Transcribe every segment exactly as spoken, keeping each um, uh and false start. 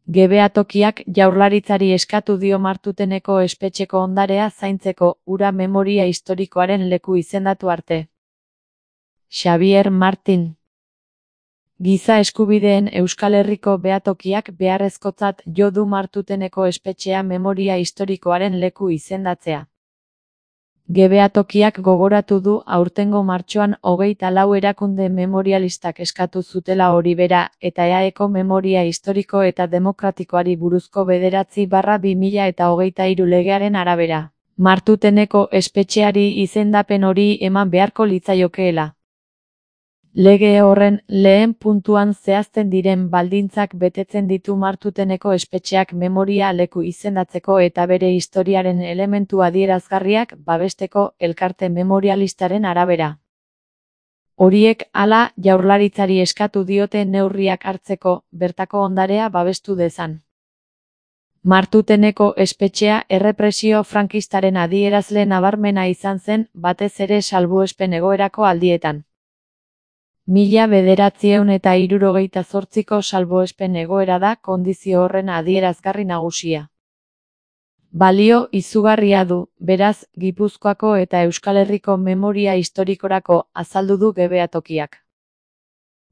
Gebeatokiak Jaurlaritzari eskatu dio Martuteneko espetxeko ondarea zaintzeko, hura memoria historikoaren leku izendatu arte. Xabier Martin. Giza eskubideen Euskal Herriko behatokiak beharrezkotzat jo du Martuteneko espetxea memoria historikoaren leku izendatzea. Gebeatokiak gogoratu du aurtengo martxoan hogeita lau erakunde memorialistak eskatu zutela hori bera, eta E A Eko memoria historiko eta demokratikoari buruzko bederatzi barra bi mila eta hogeita hiru legearen arabera. Martuteneko espetxeari izendapen hori eman beharko litzaiokeela. Lege horren lehen puntuan zehazten diren baldintzak betetzen ditu Martuteneko espetxeak memoria leku izendatzeko eta bere historiaren elementu adierazgarriak babesteko elkarte memorialistaren arabera. Horiek hala Jaurlaritzari eskatu diote neurriak hartzeko, bertako ondarea babestu dezan. Martuteneko espetxea errepresio frankistaren adierazle nabarmena izan zen, batez ere salbuespen egoerako aldietan. Mila bederatziehun eta hirurogeita zortziko salbuespen egoera da kondizio horren adierazgarri nagusia. Balio izugarria du, beraz, Gipuzkoako eta Euskal Herriko memoria historikorako azaldu du gebeatokiak.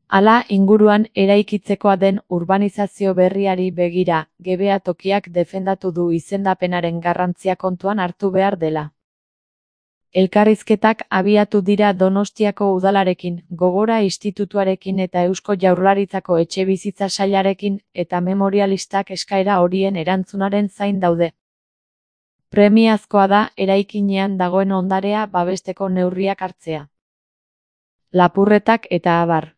Hala inguruan eraikitzekoa den urbanizazio berriari begira, gebeatokiak defendatu du izendapenaren garrantzia kontuan hartu behar dela. Elkarrizketak abiatu dira Donostiako udalarekin, Gogora Institutuarekin eta Eusko Jaurlaritzako Etxebizitza Sailarekin, eta memorialistak eskaera horien erantzunaren zain daude. Premiazkoa da eraikinean dagoen ondarea babesteko neurriak hartzea. Lapurretak eta abar.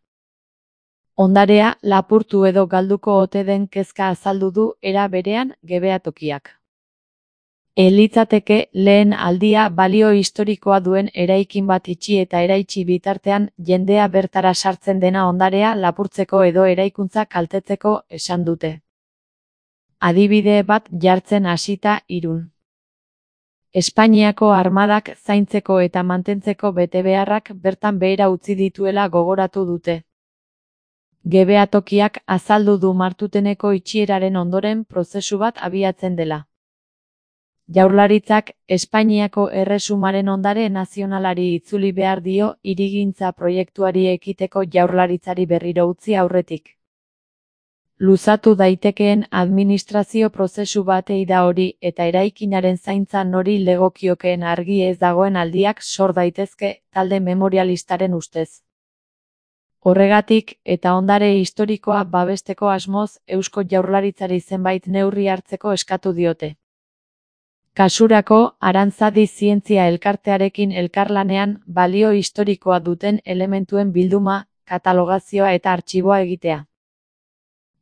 Ondarea lapurtu edo galduko ote den kezka azaldu du era berean gebeatokiak. Elitzateke lehen aldia balio historikoa duen eraikin bat itxi eta eraitsi bitartean jendea bertara sartzen dena ondarea lapurtzeko edo eraikuntza kaltetzeko esan dute. Adibide bat jartzen hasita Irun. Espainiako armadak zaintzeko eta mantentzeko betebeharrak bertan behera utzi dituela gogoratu dute. Gebeatokiak azaldu du Martuteneko itxieraren ondoren prozesu bat abiatzen dela. Jaurlaritzak Espainiako Erresumaren ondare nazionalari itzuli behar dio hirigintza proiektuari ekiteko Jaurlaritzari berriro utzi aurretik. Luzatu daitekeen administrazio prozesu batei da hori eta eraikinaren zaintza nori legokiokeen argi ez dagoen aldiak sor daitezke, talde memorialistaren ustez. Horregatik, eta ondare historikoa babesteko asmoz, Eusko Jaurlaritzari zenbait neurri hartzeko eskatu diote. Kasurako, Arantzadi Zientzia Elkartearekin elkarlanean balio historikoa duten elementuen bilduma, katalogazioa eta artxiboa egitea.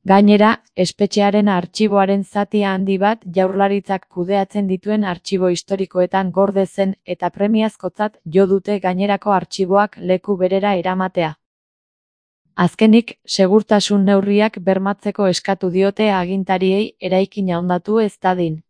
Gainera, espetxearen artxiboaren zati handi bat Jaurlaritzak kudeatzen dituen artxibo historikoetan gorde zen eta premiazkotzat jo dute gainerako artxiboak leku berera eramatea. Azkenik, segurtasun neurriak bermatzeko eskatu diote agintariei eraikina hondatu ez dadin.